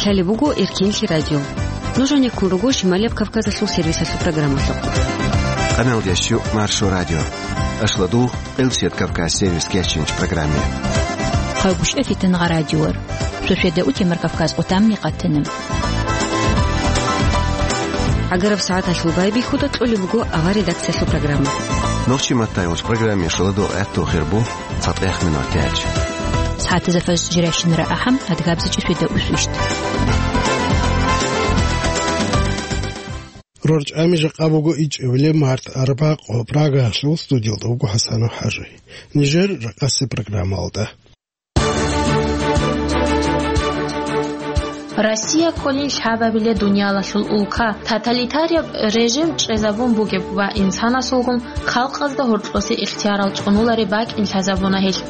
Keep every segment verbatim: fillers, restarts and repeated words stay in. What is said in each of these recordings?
Лъалеб буго Эркенлъи радио. Нуж гьанеккун руго Шималияб Кавказалъул сервисалъул программалъухъ. Къаналдиясчу Маршо радио. Ашладугъ, Къилсият Кавказ сервис кечинч программе. Хъалгушев Фитнагъа радиор. Шошеда утемар Кавказ къутамни къатана. ГӀагараб сагӀаталъул байбихьуда кьолеб буго авар редакциялъул программа. Нохчи маттай уч программе шаладугъ гӀатту хирбу. ЦатӀехъ минутач. СагӀатазда фажр жирайщинара ахӀам, адгабзичӀи шведа усвищ. РорчӀами жакъа буго ичӀабилеб март арбакъо Прагаялъул студиялда вуго ХӀасанов ХӀажи. Нижер ракъаси программалда. Россия кколин лъабабиле дуниялалъул улка, тоталитарияб режим чӀезабун бугеб ва инсанасулгун халкъазда гьоркьосе ихтиярал цӀунуларе бакӀин лъазабуна гьелъ.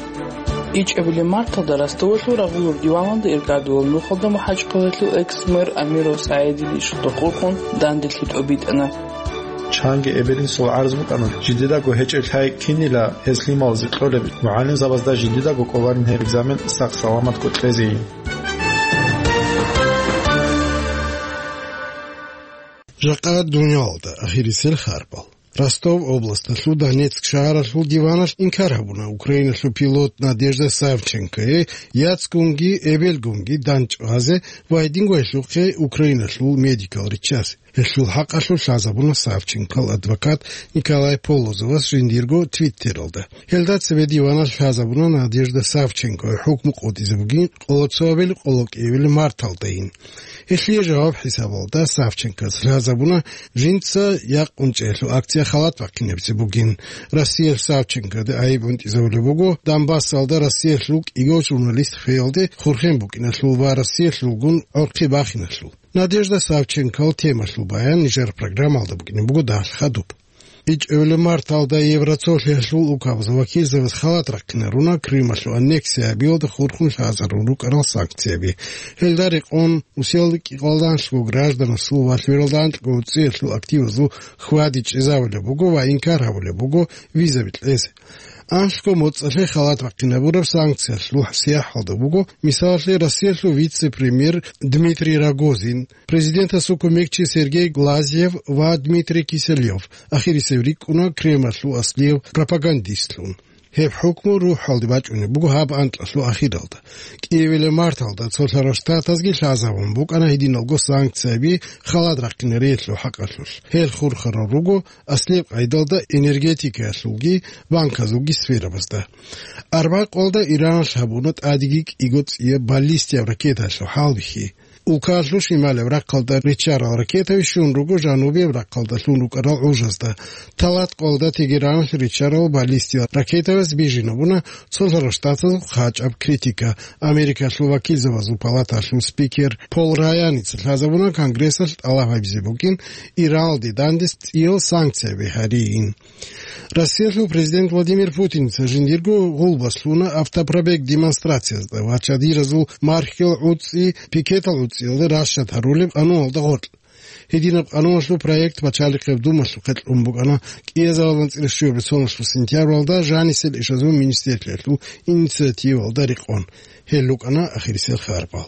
ИчӀабилеб марталда Ростовалъул рагъулал диваналда иргадулал нухалда МухӀачкъалалъул экс-мэр Амиров СагӀидил ишалда хурхун данделъи тӀобитӀана. Чанги эбел-инсул гӀарз букӀана, жидедаго гьечӀеб лъай кинила гьез лъималазе кьолеб, мугӀалимзабазда жидедаго кӀоларин гьеб экзамен сах-саламатго кьезейин. Жакъа дуниялалда ахирисел харбал. Ростов областалъул Донецк шагьаралъул диваналъ инкар гьабуна Украиналъул пилот Надежда Савченкое яцгунги эбелгунги дандчӀвазе ва гьединго гьелъухъе Украиналъул медикал риччазе. Гьелъул хӀакъалъулъ лъазабуна Савченкол адвокат Николай Полозовас жиндирго Твиттералда. Гьелда цебе диваналъ лъазабуна Надежда Савченкое хӀукму къотӀизе бугин къоло цоабил къоло кӀиабил марталдайин. Гьелъие жаваб хӀисабалда Савченкос лъазабуна жинца якъунчӀелъул акция халат бахъинабизе бугин. Россиялъ Савченкода гӀайиб унтӀизавулеб буго Донбассалда Россиялъул кӀиго журналист хвеялде хурхен букӀиналъул ва Россиялъулгун гӀорхъи бахиналъул. Надежда Савченкол темалъул баян нижер программалда букӀине буго дагьалъ хадуб. ИчӀабилеб марталда Евроцолъиялъул улкабазул вакилзабаз халат рахъинаруна Крымалъул аннексия гьабиялда хурхун лъазарун рукӀарал санкцияби. Гьелда рекъон Русиялда кӀикъоялда анлъго гражданасул ва лъабералда анкьго уцӀиялъул активазул хьвади чӀезавулеб буго ва инкар гьабулеб буго визаби кьезе. Анлъго моцӀалъе халат бахъинабураб санкциялъул сияхӀалда буго, мисалалъе, Россиялъул вице-премьер Дмитрий Рогозин, президентасул кумекчи Сергей Глазьев ва Дмитрий Киселев, ахирисев рикӀкӀуна Кремльалъул аслияв пропагандистлъун. Гьеб хӀукму рухӀалде бачӀунеб буго гьаб анкьалъул ахиралда. КӀиабилеб марталда Цолъарал Штатазги лъазабун букӀана гьединалго санкцияби халат рахъинариялъул хӀакъалъулъ. Гьел хурхарал руго аслияб къайдалда энергетикаялъулги банказулги сферабазда. Арбакъалда Иранас гьабуна тӀадеги кӀиго цӀияб баллистияб ракетаялъул хӀалбихьи. Улкаялъул шималаб рахъалда риччарал ракетаби щун руго жанубияб рахъалдалъун рукӀарал гӀужазда. Талаткъалда Тегераналъ риччарал баллистиял ракетабаз бижинабуна Цолъарал Штатазул хъачӀаб критика. Америкалъул вакилзабазул палаталъул спикер Пол Раяница лъазабуна Конгрессалъ тӀалаб гьабизе букӀин Иранал дидандес цӀиял санкцияби гьарийин. Россиялъул президент Владимир Путиница жиндирго гъулбас лъуна автопробег демонстрациязда ва чадиразул мархьил гӀуцӀи пикетал гӀуцӀиялда ращад гьарулеб къануналда гъоркь. Гьединаб къануналъул проект Пачалихъеб Думалъухъе кьун букӀана кӀиазабазул анцӀила щуяб соналъул сентябралда жанисел ишазул министрлъиялъул инициативалда рекъон. Гьел рукӀана ахирисел харбал.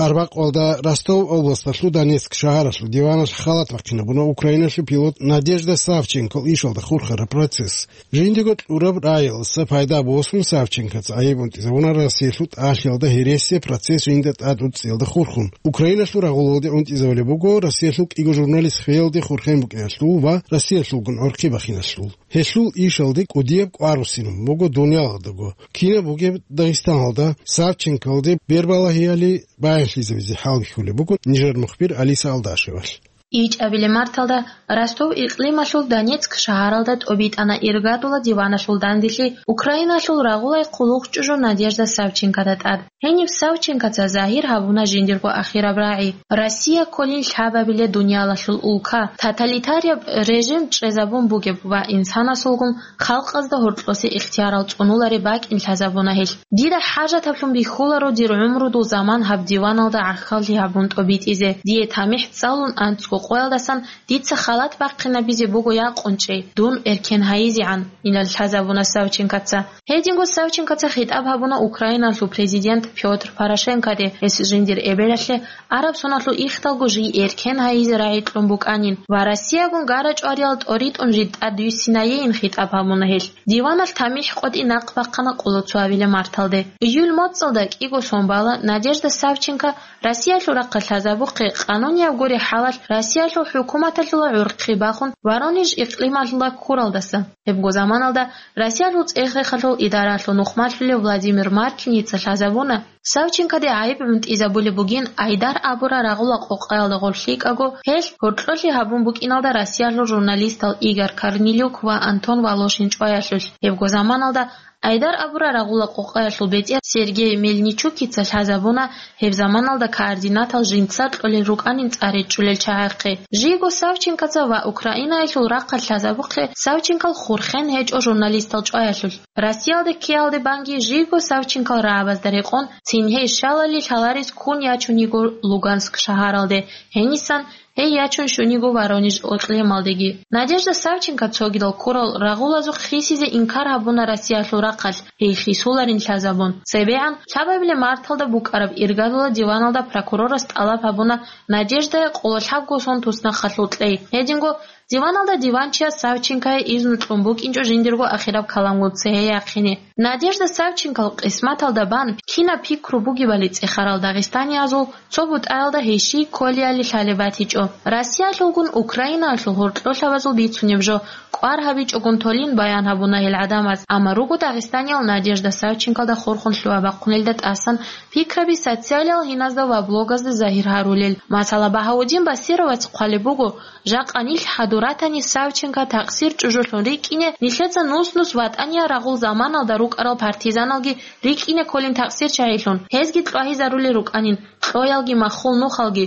Арбакъалда Ростов областалъул Донецк шагьаралъул диваналъ халат бахъинабуна Украиналъул пилот Надежда Савченкол ишалда хурхараб процесс. Жиндего кьураб раялдаса пайда босун Савченкоца гӀайиб унтӀизабуна Россиялъул тӀалъиялда гьересияб процесс жинда тӀад уцӀцӀиялда хурхун. Украиналъул рагъулалде унтӀизабулеб буго Россиялъул кӀиго журналист хвеялде хурхен букӀиналъул ва Россиялъулгун гӀорхъи бахиналъул. Гьелъул ишалде кӀудияб кӀвар руссинабун буго дуниялалдаго. Кинаб бугеб Дагъистаналда, Савченколде бербалагьиялъе баянлъизабизе хӀалбихьулеб буго нижер мухбир Алиса Алдашевалъ. ИчӀабилеб марталда Ростов икълималъул Донецк шагьаралда тӀобитӀана иргадула диваналъул данделъи Украиналъул рагъулай хъулухъчӀужу Надежда Савченкода тӀад. Гьениб Савченкоца загьир гьабуна жиндирго ахираб рагӀи. Россия кколин лъабабиле дуниялалъул улка, тоталитарияб режим чӀезабун бугеб ва инсанасулгун халкъазда гьоркьосе ихтиярал цӀунуларе бакӀин лъазабуна гьелъ. Дида хӀажатаблъун бихьуларо дир гӀумрудул заман гьаб диваналда гӀахьаллъи гьабун тӀобитӀизе. Дие тамихӀ цӀалун анцӀго Къоялдасан дица халат бахъинабизе буго якъунчӀей, дун эркен гьайизегӀан, инал лъазабуна Савченкоца. Гьединго Савченкоца хитӀаб гьабуна Украиналъул президент Пётр Порошенкоде, гьес жиндир эбелалъе араб соналъул ихдалго жий эркен гьайизе рагӀи кьун букӀанин ва Россиягун гара-чӀвариял тӀоритӀун жид тӀадвиссинайейин хитӀаб гьабуна гьелъ. Диваналъ тамихӀ къотӀи нахъ бахъана къоло цо абилеб марталде. Июль моцӀалда кӀиго сон бала Надежда Савченко Россиялъул рахъалъ лъазабухъе, къанунияб гуреб хӀалалъ Россиялъул хӀукуматалъула гӀурхъи бахун Воронеж икълималъула ккуралдаса. Гьебго заманалда Россиялъул цӀех-рехалъул идаралъул нухмалъулев Владимир Маркиница лъазабуна, Савченкоде гӀайиб гӀунтӀизабулеб бугин Айдар абурал рагъула къокъаялда гъорлъ йикӀаго, гьелъ гьоркьолъи гьабун букӀиналда Россиялъул журналистал Игорь Корнелюк ва Антон Волошин чӀваялъулъ. Гьебго заманалда Айдар абурал рагъула къокъаялъул бетӀер Сергей Мельничукица лъазабуна гьеб заманалда координатал жинца кьолел рукӀанин цӀар речӀчӀулел чагӀахъе. Жийго Савченкоца ва Украинаялъул рахъалъ лъазабухъе Савченкол хурхен гьечӀо журналистал чӀваялъулъ. Россиялде ккеялде банги жийго Савченкол рагӀабазда рекъон цин гьей щалали лъаларес ккун ячун йиго Луганск шагьаралде, гьенисан гьей ячун щун йиго Воронеж икълималдеги. Надежда Савченко цогидал ккурал рагъулазухъ хисизе инкар гьабуна Россиялъул рахъалъ, гьей хисуларин лъазабун. ЦебегӀан лъабабилеб марталда букӀараб иргаялда диваналда прокурорас тӀалаб гьабуна Надеждае къоло лъабго сон туснахъалъул кьей. Гьединго диваналда диванчияс Савченкое изну кьун букӀинчӀо жиндирго ахираб каламгун цее яхъине. Надежда Савченкол къисматалда бан кинаб пикру бугебали цӀехарал дагъистаниязул цо бутӀаялда гьей щий кколиали лъалеб батичӀо. Россиялъулгун Украинаялъул гьоркьолъабазул бицунеб жо кӀвар гьабичӀогун толин баян гьабуна гьел гӀадамаз, амма руго дагъистаниял Надежда Савченколда хурхун лъугьа-бахъунелда тӀасан пикраби социалиял гьиназда ва блогазда загьир гьарулел. Масала, Багьаудин Басировац хъвалеб буго, жакъа нилъ хӀадур ратани Савченко такъсир чӀужулъун рикӀкӀине, нилъеца нус-нус ВатӀания рагъул заманалда рукӀарал партизаналги рикӀкӀине кколин такъсирчагӀилъун, гьезги кьвагьизарулел рукӀанин, кьоялги маххул нухалги.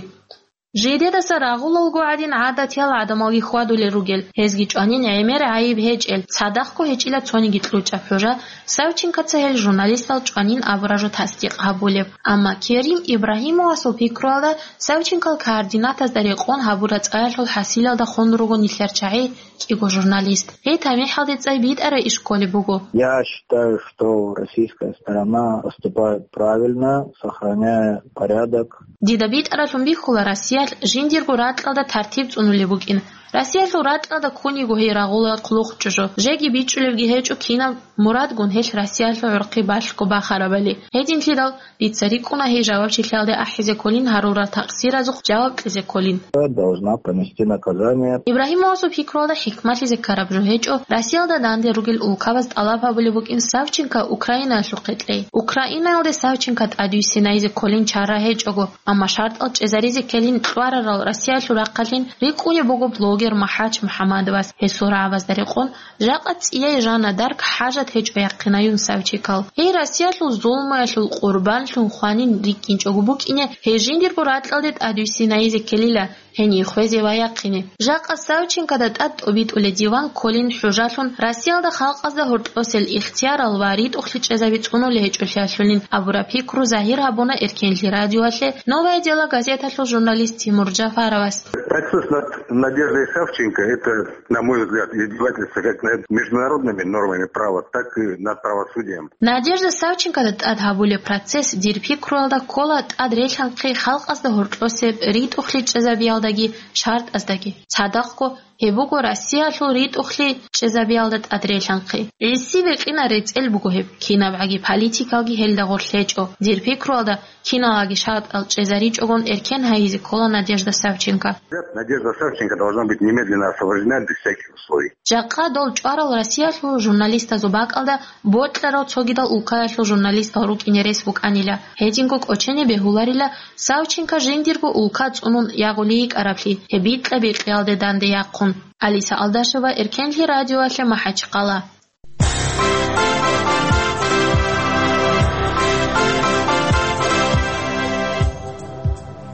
Жидедаса рагъулалго гӀадин гӀадатиял гӀадамалги хьвадулел ругел, гьезги чӀванин гӀемер гӀайиб гьечӀел, цадахъго гьечӀила цониги кьучӀаб хӀужа, Савченкоца гьел журналистал чӀванин абураб жо тасдикъ гьабулеб. Амма Керим Ибрагьимовасул пикруялда, Савченкол координатазда рекъон гьабураб цӀаялъул хӀасилалда хун руго нилъер чагӀи, кӀиго журналист. Гьей тамихӀалде цӀай битӀарай иш кколеб буго. Я считаю, что российская сторона поступает правильно, сохраняя порядок. Дида битӀаралъун бихьула Россиялъ жиндирго ракьалда тартиб цӀунулеб букӀин. Россиялъул ракьалда ккун йиго гьей рагъула хъулухъ чӀужу. Жеги бичӀчӀулебги гьечӀо кинаб мурадгун гьелъ Россиялъул гӀурхъи балъго бахарабали. Гьединлъидал дица рикӀкӀуна гьей жавабчилъиялде ахӀизе кколин, гьарурал такъсиразухъ жаваб кьезе кколин. Должна понести наказание. Ибрагьимовасул пикруялда хӀикмалъизе ккараб жо гьечӀо, Россиялда данде ругел улкабаз тӀалаб гьабулеб букӀин Савченко Украинаялъухъе кьей. Украинаялде Савченко тӀадвиссинайзе кколин чара гьечӀого, амма шартӀал чӀезаризе ккелин кьварарал Россиялъул рахъалъин рикӀкӀунеб буго блогер МахӀач МухӀаммадовас. Гьесул рагӀабазда рекъон, жакъа цӀияй Жанна д'Арк хӀажат гьечӀо яхъинаюн Савченкол. Гьей Россиялъул зулмуялъул къурбанлъун хванин рикӀкӀинчӀого букӀине, гьей жиндирго ракьалде тӀадвиссинайзе ккелила, гьение хвезе ва яхъине. Жакъа Савченкода тӀад тӀобитӀулеб диван кколин хӀужалъун, Россиялда халкъазда гьоркьосел ихтиярал ва ритӀухълъи чӀезаби цӀунулеб гьечӀолъиялъулин абураб пикру загьир гьабуна Эркенлъи радиоялъе «Новое дело» газеталъул журналист Тимур Джафаровас. Процесс над Надеждой Савченко — это, на мой взгляд, издевательство как над международными нормами права, так и над правосудием. Надежда Савченкода тӀад гьабулеб процесс, дир пикруялда, ккола тӀад релъанхъи халкъазда гьоркьосеб ритӀухълъи чӀезабиялдаги шартӀаздаги. Цадахъго, гьеб буго Россиялъул ритӀухълъи чӀезабиялда тӀад релъанхъи. ГӀиси бекъина рецӀел буго гьеб, кинабгӀаги политикалги гьелда гъорлъ гьечӀо. Дир пикруялда, киналаги шартӀал чӀезаричӀогун эркен гьайизе ккола Надежда Савченко. Надежда Савченко должна быть немедленно освобождена без всяких условий. Жакъа дол чӀварал Россиялъул журналистазул бакӀалда бокьарал цогидал улкаялъул журналистал рукӀине рес букӀанила. Гьединго кӀочене бегьуларила Савченко жиндирго улка цӀунун ягъулей йикӀараблъи, гьеб бикьа-бикьиялде данде яхъун. Алиса Алдашева, Эркенлъи радиоялъе, МахӀачхъала.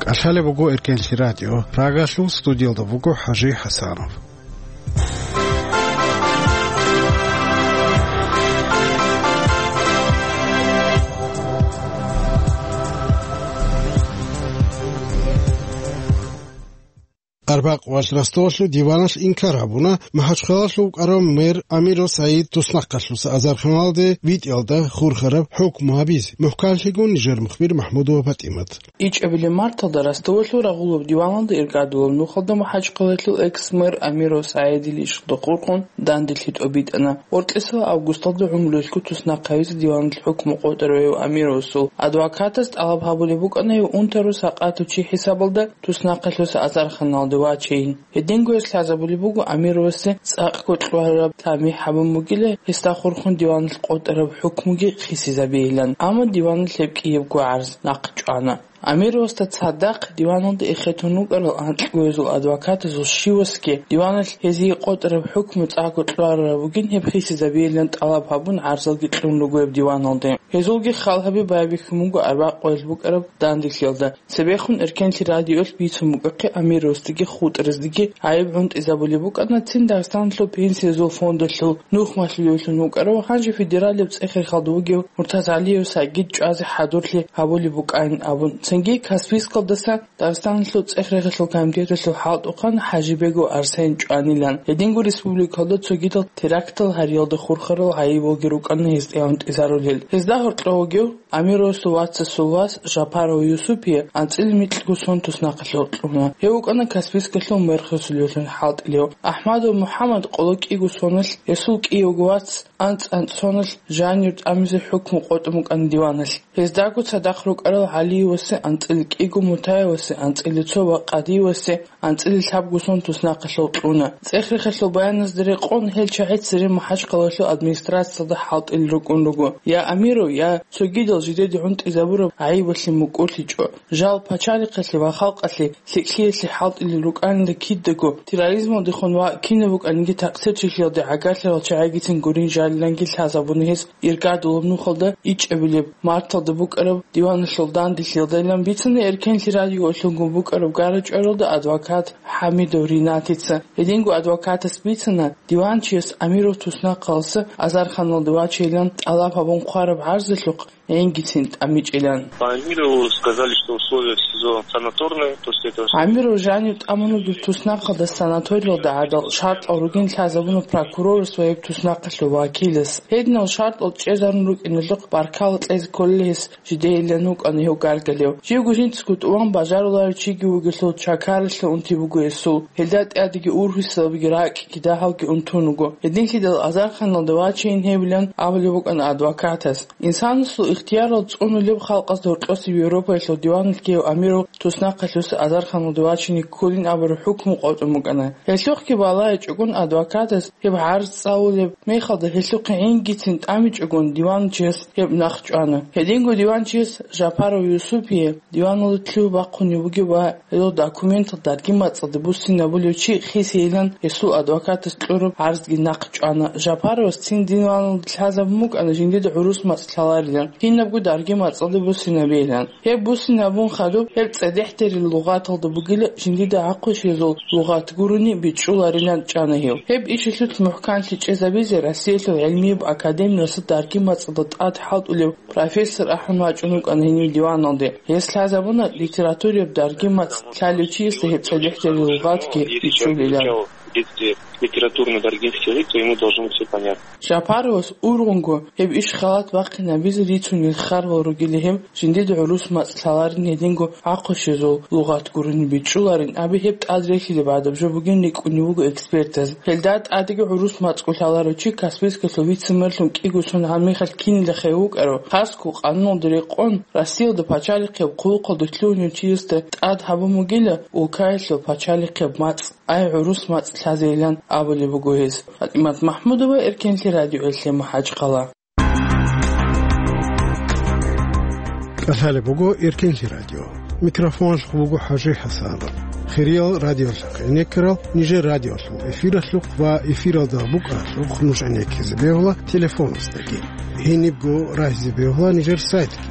КӀалъалеб буго Эркенлъи радио. Прагалъул студиялда вуго ХӀажи ХӀасанов. Арбакъвалъ Ростовалъул диваналъ инкар гьабуна МахӀачхъалалъув вукӀарав мэр Амиров СагӀид туснахъалъуса азарханалде витӀиялда хурхараб хӀукму гьабизе, мухӀканлъигун нижер мухбир МахӀмудова ПатӀимат. ИчӀабилеб марталда Ростовалъул рагъулаб диваналда иргадулаб нухалда МахӀачхъалалъул экс-мэр Амиров СагӀидил ишалда хурхун данделъи тӀобитӀана. Гьоркьисал августалда гӀумруялъго туснахъ гьавизе диваналъ хӀукму къотӀарав гьев Амировасул адвокатас тӀалаб гьабулеб букӀана гьев унтарав сакъатав чи хӀисабалда туснахъалъуса азарханалде вачейин. Гьединго гьес лъазабулеб буго Амировасе цӀакъго кьвараб тамихӀ гьабун бугила гьесда хурхун диваналъ къотӀараб хӀукмуги хисизабейилан, амма диваналъ гьеб кӀиябго гӀарз нахъ чӀвана. Амировасда цадахъ диваналда эхетун вукӀарал анкьго гьезул адвокатазул щивасги диваналъ гьезие къотӀараб хӀукму цӀакъго кьварараб бугин гьеб хисизабейилан тӀалаб гьабун гӀарзалги кьун руго гьеб диваналде. Гьезулги хал гьаби байбихьун буго арбакъвалъ букӀараб данделъиялда. Цебехун Эркенлъи радиоялъ бицун букӀахъе Амировасдаги хутӀраздеги гӀайиб гӀунтӀизабулеб букӀана цин Дагъистаналъул пенсиязул фондалъул нух малъулевлъун вукӀарав, гьанже федералияб цӀех-рехалда вугев МуртазгӀалиев СагӀид чӀвазе хӀадурлъи гьабулеб букӀанин абун. Цинги Каспийскалдаса Дагъистаналъул цӀех-рехалъул комитеталъул хӀалтӀухъан ХӀажибегов Арсен чӀванилан. Гьединго республикалда цогидал терактал гьариялда хурхарал гӀайибалги рукӀана гьесда гӀунтӀизарулел. Гьезда гьоркьов вугев Амировасул вацасул вас Жапаров Юсупие анцӀила микьго сон туснахъалъув кьуна. Гьев вукӀана Каспийскалъул мэрхасулевлъун хӀалтӀилев. АхӀмадов МухӀаммад къоло кӀиго соналъ, гьесул кӀиявго вац анцӀ-анцӀ соналъ жанир тӀамизе хӀукму къотӀун букӀана диваналъ. Гьездаго цадахъ рукӀарал ГӀалиевасе анцӀила кӀиго, Мутаевасе анцӀила цо ва Къадиевасе анцӀила лъабго сон туснахъалъув кьуна. ЦӀех-рехалъул баяназда рекъон, гьел чагӀи цере МахӀачхъалалъул администрациялда хӀалтӀилел рукӀун руго. Я Амиров, я цогидал жидеде гӀунтӀизабураб гӀайибалъе мукӀурлъичӀо. Жал пачалихъалъе ва халкъалъе лъикӀлъиялъе хӀалтӀилел рукӀанилан кидаго терроризмалдехун ва кинаб букӀаниги такъсирчилъиялде гӀагарлъарал чагӀигицин гурин жалиланги лъазабуна гьес иргадулаб нухалда ичӀабилеб марталда букӀараб диваналъул данделъиялдайилан бицана Эркенлъи радиоялъулгун букӀараб гара-чӀваралда адвокат ХӀамидов Ринатица. Гьединго адвокатас бицана, диванчияс Амиров туснахъалъуса азарханалде вачейилан тӀалаб гьабун хъвараб гӀарзалъухъ гӀингицин тӀамичӀилан. По Амирову сказали, что условия в СИЗО санаторные, после этого... Амиров жанив тӀамун вугеб туснахъалда санаториялда гӀадал шартӀал ругин лъазабуна прокурорас ва гьеб туснахъалъул вакилас. Гьединал шартӀал чӀезарун рукӀиналъухъ баркала кьезе кколел гьес жидейилан вукӀана гьев гаргалев. Живго жинцаго тӀуван бажаруларев чиги вугелъул чакаралъе унти буго гьесул. Гьелда тӀадеги ургьисалабиги ракӀги дагьалги унтун вуго. Гьединлъидал азарханалда вачейин гьевилан абулеб букӀана адвокатас. Инсанасул ихтиярал цӀунулеб халкъазда гьоркьосеб Европаялъул диваналъ гьев Амиров туснахъалъуса азарханалде вачине кколин абураб хӀукму къотӀун букӀана. Гьелъухъги балагьичӀогун адвокатас гьеб гӀарз цӀалулеб мехалда гьелъухъе гӀингицин тӀамичӀогун диванчияс гьеб нахъ чӀвана. Гьединго диванчияс Жапаров Юсупие диваналда лъугьа-бахъунеб бугеб ва гьелъул документал дарги-мацӀалда буссинабулев чи хисейилан гьесул адвокатас кьураб гӀарзги нахъ чӀвана. Жапаровас цин диваналда лъазабун букӀана жиндида гӀурус мацӀ лъаларилан, кинабго дарги-мацӀалда буссинабейилан. Гьеб буссинабун хадуб, гьеб цӀедехӀ дерил лугъаталда бугила жиндида гӀахъуш гьезул лугъат гурони бичӀчӀуларилан чӀана гьев. Гьеб ишалъулъ мухӀканлъи чӀезабизе Россиялъул гӀилмияб академияса дарги-мацӀалда тӀад хӀалтӀулев профессор ахӀун вачӀун вукӀана гьенив диваналде. Гьес лъазабуна литератураяб дарги-мацӀ лъалев чиясда гьеб цӀедехӀ дерил лугъатги бичӀчӀулилан. Если литературный даргинский язык, то ему должно быть всё понятно. Жапаровас ургъунго гьеб иш халат бахъинабизе рицунел хъарал ругила гьеб, жиндида гӀурус мацӀ лъаларин гьединго гӀахъуш гьезул лугъат гурони бичӀчӀуларин аби гьеб тӀад рехилеб гӀадаб жо бугин рикӀкӀунев вуго экспертаз. Гьелда тӀадеги гӀурус мацӀго лъаларев чи Каспийскалъул вице-мэрлъун кӀиго сон гьанмихалъ кинилахъе вукӀарав, хасго къануналда рекъон, Россиялда пачалихъеб хъулухъалда лъугьунев чиясда тӀад гьабун бугила улкаялъул пачалихъеб мацӀ. Ай, гӀурус мацӀ лъазейилан абулеб буго гьез. ФатӀимат МахӀмудова, Эркенлъи радиоялъе МахӀачхъала. КӀалъалеб буго Эркенлъи радио. Микрофоналъухъ буго ХӀажи ХӀасанов. Хириял радиолъухъ гӀенеккарал нижер радиолъул эфиралъухъ ва эфиралда букӀаралъухъ нуж гӀенеккизе бегьула телефонасдаги. Гьенибго рагьизе бегьула нижер сайтги.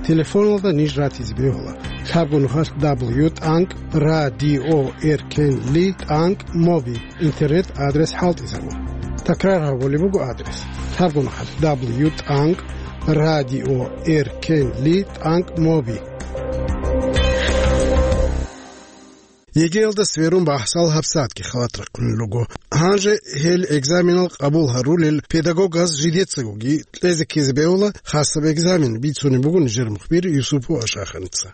Телефоналда ниж ратизе бегьула. Лъабго нухалъ дабл ю тӀанкӀ радио эркенли тӀанкӀ моби интернет адрес хӀалтӀизабун. Такрар гьабулеб буго адрес. Лъабго нухалъ дабл ю тӀанкӀ радио эркенли тӀанкӀ моби. ЕГЭялда сверун бахӀсал гьабсагӀатги халат рахъунел руго. Гьанже гьел экзаменал къабул гьарулел педагогаз жидецагоги кьезе ккезе бегьула хасаб экзамен, бицунеб буго нижер мухбир Юсупов Ашаханица.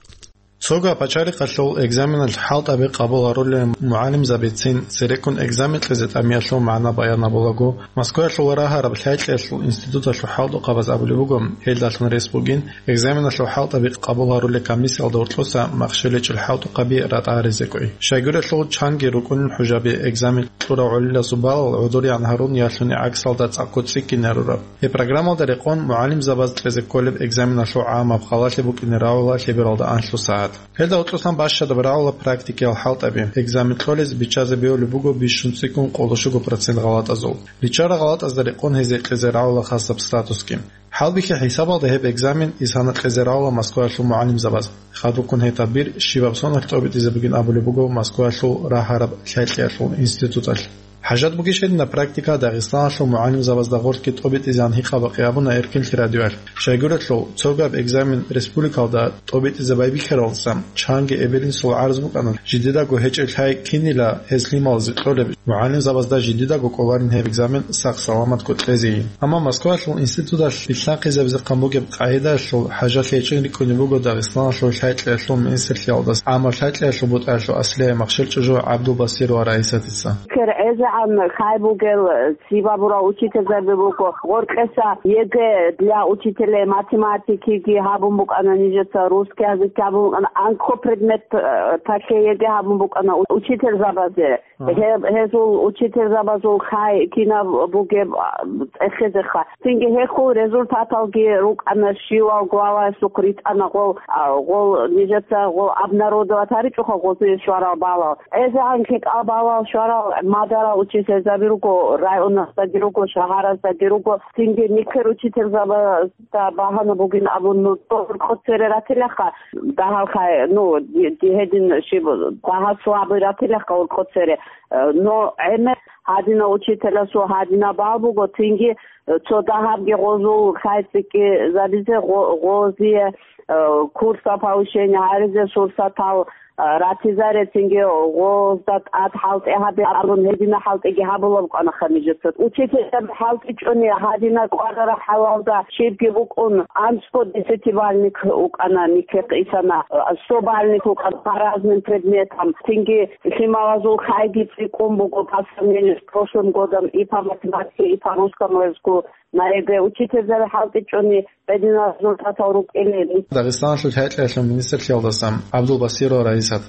Цогаб пачалихъалъул экзаменалъ хӀалтӀаби къабул гьарулел мугӀалимзабицин цереккун экзамен кьезе тӀамиялъул магӀна баян гьабулаго, Москваялъул рагьараб лъай-кьеялъул институталъул хӀалтӀухъабаз абулеб буго, гьелдалъун рес бугин экзаменалъул хӀалтӀаби къабул гьарулел комиссиялда гьоркьоса махщел гьечӀел хӀалтӀухъаби ратӀа-гьаризекӀой. Щайгурелъул чанги рукӀунин хӀужаби экзамен кьурав гӀолилазул балал гӀодоригӀан гьарун ялъуни гӀаксалда цӀакъго цӀикӀкӀине гьарураб. Гьеб программалда рекъон мугӀалимзабаз кьезе кколеб экзаменалъул гӀамаб халалъи букӀине рагӀула лъебералда анлъго сагӀат. Гьелда гьоркьосан бащадаб рагӀула практикиял хӀалтӀаби. Экзамен кьолез биччазе бегьулеб буго бищун цӀикӀкӀун къоло щуго процент гъалатӀазул. Биччарал гъалатӀазда рекъон гьезие кьезе рагӀула хасаб статусги. ХӀалбихьи хӀисабалда гьеб экзамен исана кьезе рагӀула Москваялъул мугӀалимзабаз. Хадубккун гьеб тӀад бир щибаб соналъ тӀобитӀизе бугин абулеб буго Москваялъул рагьараб лъай-кьеялъул институталъ. ХӀажат бугищ гьединаб практика Дагъистаналъул мугӀалимзабазда гъорлъги тӀобитӀизегӀан гьикъаба къиябуна Эркин лъирадиялъ. Щайгурелъул, цогаб экзамен республикалда тӀобитӀизе байбихьаралдаса чанги эбел-инсул гӀарз букӀана, жидедаго гьечӀеб лъай кинила гьез лъималазе кьолеб, мугӀалимзабазда жидедаго кӀоларин гьеб экзамен сах-саламатго кьезейин. Амма Москваялъул институталъ билълъанхъизабизе хъан бугеб къагӀидаялъул хӀажалъи гьечӀин рикӀкӀунеб буго Дагъистаналъул лъай-кьеялъул министрлъиялдаса гӀамаб лъай-кьеялъул бутӀаялъул аслияб махщел чӀужу ГӀабдулбасирова Раисатица. Кер гӀезегӀан хай бугел цибабурал учительзаби буго. Гъоркьеса ЕГЭ для учителей математикиги гьабун букӀана нижеца, русский язык гьабун букӀана, анкьго предмет, э, талъе ЕГЭ гьабун букӀана у-, учительзабазе. Гьеб-, гьезул учительзабазул хай кинаб бугеб, а, цӀехезеха. Цинги гьехул результаталги рукӀана, щивав главаясухъ ритӀана гъол, а, гъол нижеца гъол обнародовать гьаричӀоха гъозие щварал балал. ГӀезегӀан лъикӀал балал щварал мадарал учительзаби руго, районаздаги руго, шагьараздаги руго. Цинги нилъер учительзабазда багьана бугин абун, ну, цо гьоркьо цере ратилаха, дагьал хай, ну, ди-, ди гьедин щиб, дагьал слабый ратилаха гьоркьо цере. Э, но гӀемер гьадинав учителасул гьадинаб бал буго, цинги, э, цо дагьабги гъозул хай цӀикӀкӀизабизе гъо-, гъозие, э, курсал повышение гьаризе сурсатал, э, ратизаре, цинги гъозда тӀад хӀалтӀи гьабе абун, гьедина хӀалтӀиги гьабулаб букӀанаха нижеца. Учительзаби хӀалтӀичӀони гьадина кӀварараб хӀалалда щибги букӀун, анцӀго десятибалльник вукӀана, никехъ исана, э, сто балльник вукӀана по разным предметам. Цинги лъималазул хайги цӀикӀкӀун буго по сравнению с прошлым годом и по математике, и по русскому языку. На ЕГЭ учительзаби хӀалтӀичӀони гьединал результатал рукӀинин. Дагъистаналъул лъай-кьеялъул министрлъиялдаса ГӀабдулбасирова Раисат.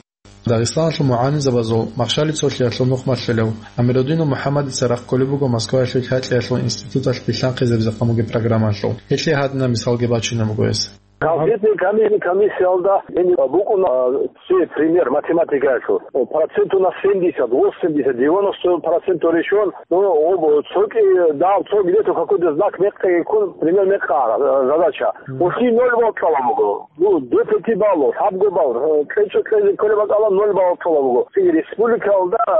Дагъистаналъул мугӀалимзабазул махщалил цолъиялъул нух малъулев Амирудинов МухӀаммадица рахъ кколеб буго Москваялъул лъай-кьеялъул институталъ билълъанхъизабизе хъамуги программалъул. Гьелъие гьадинаб мисалги бачунеб буго гьес. Конкретный комисси-, комиссиялда гьениб букӀуна, а, цебе пример математикаялъул. Проценту на семьдесят, восемьдесят, девяносто процентов решен, ну, об-, цоги, да, цо где-то какой-то знак мекъи ккун, пример мекъа, а, задача. Мгм. Уши ноль балл кьала буго. Ну, до пяти баллов, лъабго балл, э, кьечӀо кьезе кколеб бакӀалда ноль балл кьала буго. Цинги республикалда, э,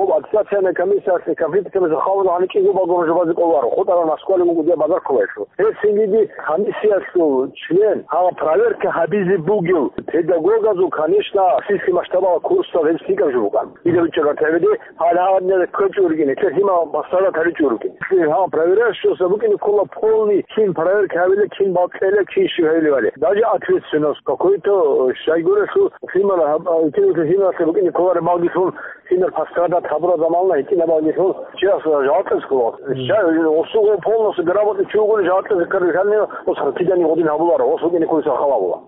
об аттестационная комиссия, конфликт комиссия хавула гьанив кӀиго балл гьабизе кӀоларо. ХутӀарал Москвалиги буго дие базар кколаялъул. Гьеб цинги ди комиссиялъул член, гьаб проверка гьабизе бугев педагогазул, конечно, российский масштабалда курсал гьеб лъикӀаб жо букӀана. Дида бичӀчӀараб гьеб ди, гьал гьаб ккечӀо рукӀине, лъимал масала таричӀо рукӀине. Гьаб проверяющийса букӀине ккола полный, кин проверка гьабила, кин балл кьела, кин щиб гьабилебали. Даже ответственность какой-то, э, щайгурелъул лъимал гьаб-, а, лъималъе букӀине кколареб балги лъун, кинар пострадать гьабураб замана гьитӀинаб балги лъун, чияс жаваблъиялъе ккола. Мгм. Щай, осуго полностью грамотный чи вугони жаваблъиялъе ккараб, гьанив ос хъатидани гъодин гьабуларо, ос вукӀине кколесал халабула.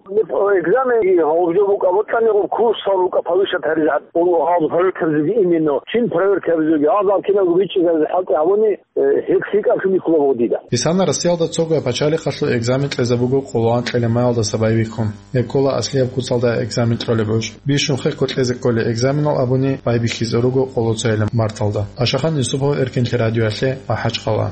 Экзамен гьаб жо букӀа, бокьани гьаб курсал букӀа повышать гьаризе, гьаб проверка гьабизеги именно, чин проверка гьабизеги, гьаб кинабго бичӀчӀизаризе хӀалтӀи гьабуни, э, гьеб лъикӀаб жо бихьулеб буго дида. Исана Россиялда цогаб пачалихъалъул экзамен кьезе буго къоло анкьила майялдаса байбихьун. Гьеб ккола аслияб куцалда экзамен кьолеб гьуж. Бищун хехго кьезе кколей экзаменал абуни байбихьизе руго къоло цойилаб марталда. Ашахан Юсупов, Эркинлъи радиоялъе, МахӀачхъала.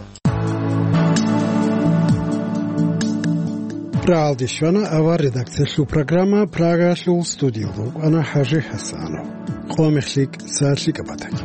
Рагьалде щвана авар редакциялъул программа. Прагаялъул студиялда вукӀана ХӀажи ХӀасанов. Къо мех лъикӀ, сагӀат лъикӀаб батаги.